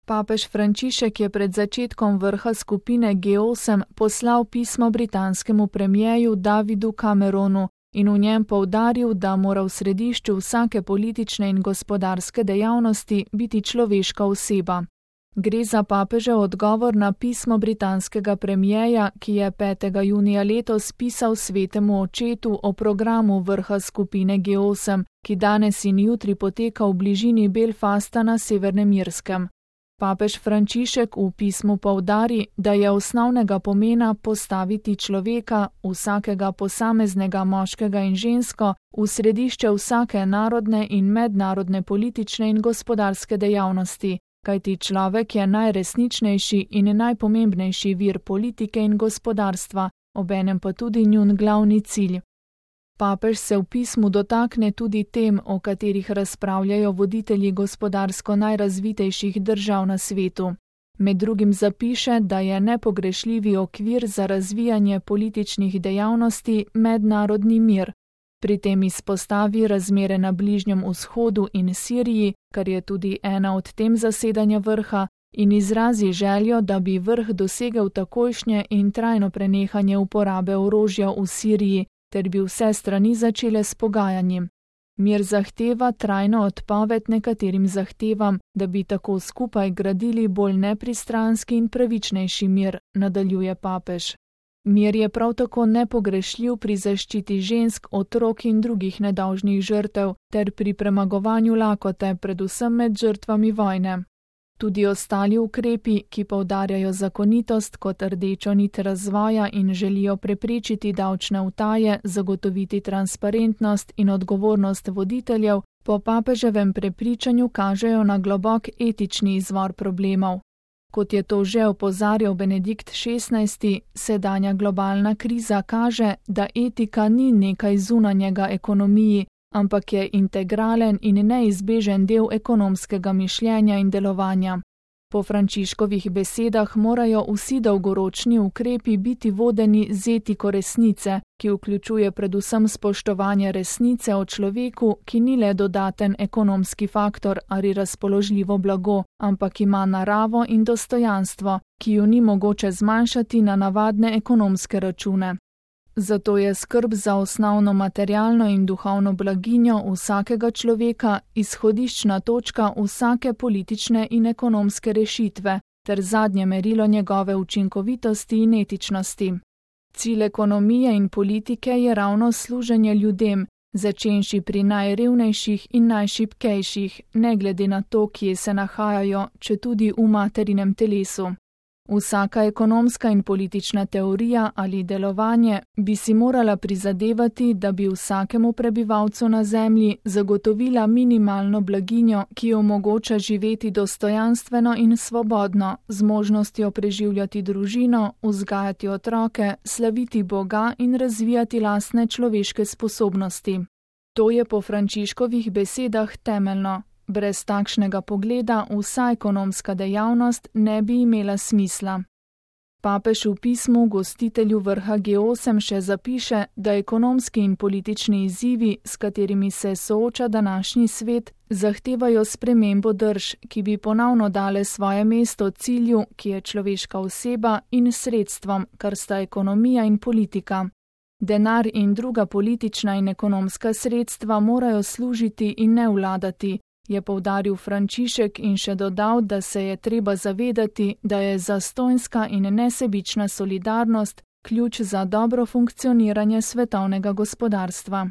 Papež Frančišek je pred začetkom vrha skupine G8 poslal pismo britanskemu premierju Davidu Cameronu in v njem poudaril, da mora v središču vsake politične in gospodarske dejavnosti biti človeška oseba. Gre za papežev odgovor na pismo britanskega premierja, ki je 5. junija letos pisal svetemu očetu o programu vrha skupine G8, ki danes in jutri poteka v bližini Belfasta na Severnem Irskem. Papež Frančišek v pismu poudari, da je osnovnega pomena postaviti človeka, vsakega posameznega moškega in žensko, v središče vsake narodne in mednarodne politične in gospodarske dejavnosti, kajti človek je najresničnejši in najpomembnejši vir politike in gospodarstva, obenem pa tudi njun glavni cilj. Papež se v pismu dotakne tudi tem, o katerih razpravljajo voditelji gospodarsko najrazvitejših držav na svetu. Med drugim zapiše, da je nepogrešljivi okvir za razvijanje političnih dejavnosti mednarodni mir. Pri tem izpostavi razmere na Bližnjem vzhodu in Siriji, kar je tudi ena od tem zasedanja vrha, in izrazi željo, da bi vrh dosegel takojšnje in trajno prenehanje uporabe orožja v Siriji, ter bi vse strani začele s pogajanjem. Mir zahteva trajno odpoved nekaterim zahtevam, da bi tako skupaj gradili bolj nepristranski in pravičnejši mir, nadaljuje papež. Mir je prav tako nepogrešljiv pri zaščiti žensk, otrok in drugih nedolžnih žrtev ter pri premagovanju lakote, predvsem med žrtvami vojne. Tudi ostali ukrepi, ki poudarjajo zakonitost kot rdečo nit razvoja in želijo preprečiti davčne utaje, zagotoviti transparentnost in odgovornost voditeljev, po papeževem prepričanju kažejo na globok etični izvor problemov. Kot je to že opozarjal Benedikt XVI, sedanja globalna kriza kaže, da etika ni nekaj zunanjega ekonomiji, ampak je integralen in neizbežen del ekonomskega mišljenja in delovanja. Po Frančiškovih besedah morajo vsi dolgoročni ukrepi biti vodeni z etiko resnice, ki vključuje predvsem spoštovanje resnice o človeku, ki ni le dodaten ekonomski faktor ali razpoložljivo blago, ampak ima naravo in dostojanstvo, ki ju ni mogoče zmanjšati na navadne ekonomske račune. Zato je skrb za osnovno materialno in duhovno blaginjo vsakega človeka izhodiščna točka vsake politične in ekonomske rešitve ter zadnje merilo njegove učinkovitosti in etičnosti. Cilj ekonomije in politike je ravno služenje ljudem, začenši pri najrevnejših in najšibkejših, ne glede na to, kje se nahajajo, četudi v materinem telesu. Vsaka ekonomska in politična teorija ali delovanje bi si morala prizadevati, da bi vsakemu prebivalcu na zemlji zagotovila minimalno blaginjo, ki omogoča živeti dostojanstveno in svobodno, z možnostjo preživljati družino, vzgajati otroke, slaviti Boga in razvijati lastne človeške sposobnosti. To je po Frančiškovih besedah temeljno. Brez takšnega pogleda vsa ekonomska dejavnost ne bi imela smisla. Papež v pismu gostitelju vrha G8 še zapiše, da ekonomski in politični izzivi, s katerimi se sooča današnji svet, zahtevajo spremembo drž, ki bi ponovno dale svoje mesto cilju, ki je človeška oseba, in sredstvom, kar sta ekonomija in politika. Denar in druga politična in ekonomska sredstva morajo služiti in ne vladati, je poudaril Frančišek in še dodal, da se je treba zavedati, da je zastonjska in nesebična solidarnost ključ za dobro funkcioniranje svetovnega gospodarstva.